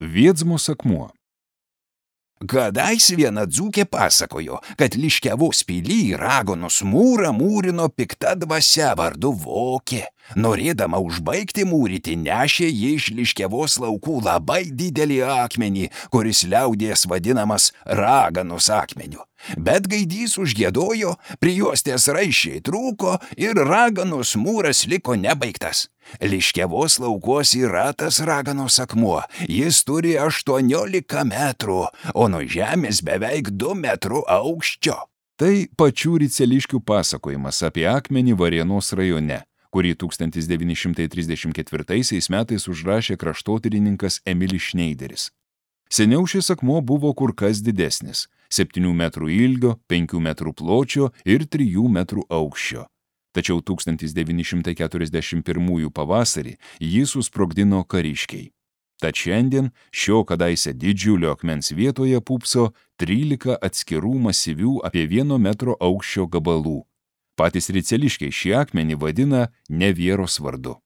Viedzmos akmuo. Kadais viena dzūkė pasakojo, kad Liškiavos pily raganos mūrą mūrino pikta dvasia vardu Vokė. Norėdama užbaigti mūryti, nešė ji iš Liškiavos laukų labai didelį akmenį, kuris liaudies vadinamas raganos akmeniu. Bet gaidys užgiedojo, prijuostės raiščiai trūko ir raganos mūras liko nebaigtas. Liškiavos laukuos yra tas raganos akmuo. Jis turi 18 metrų, o nuo žemės beveik 2 metrų aukščio. Tai pačių riceliškių pasakojimas apie akmenį Varėnos rajone, kurį 1934 metais užrašė kraštotyrininkas Emilis Šneideris. Seniau šis akmuo buvo kur kas didesnis – 7 metrų ilgio, 5 metrų pločio ir 3 metrų aukščio. Tačiau 1941 pavasarį jį susprogdino kariškiai. Tad šiandien šio kadaise didžiulio akmens vietoje pūpso 13 atskirų masyvių apie 1 metro aukščio gabalų. Patys riceliškiai šį akmenį vadina Nevieros vardu.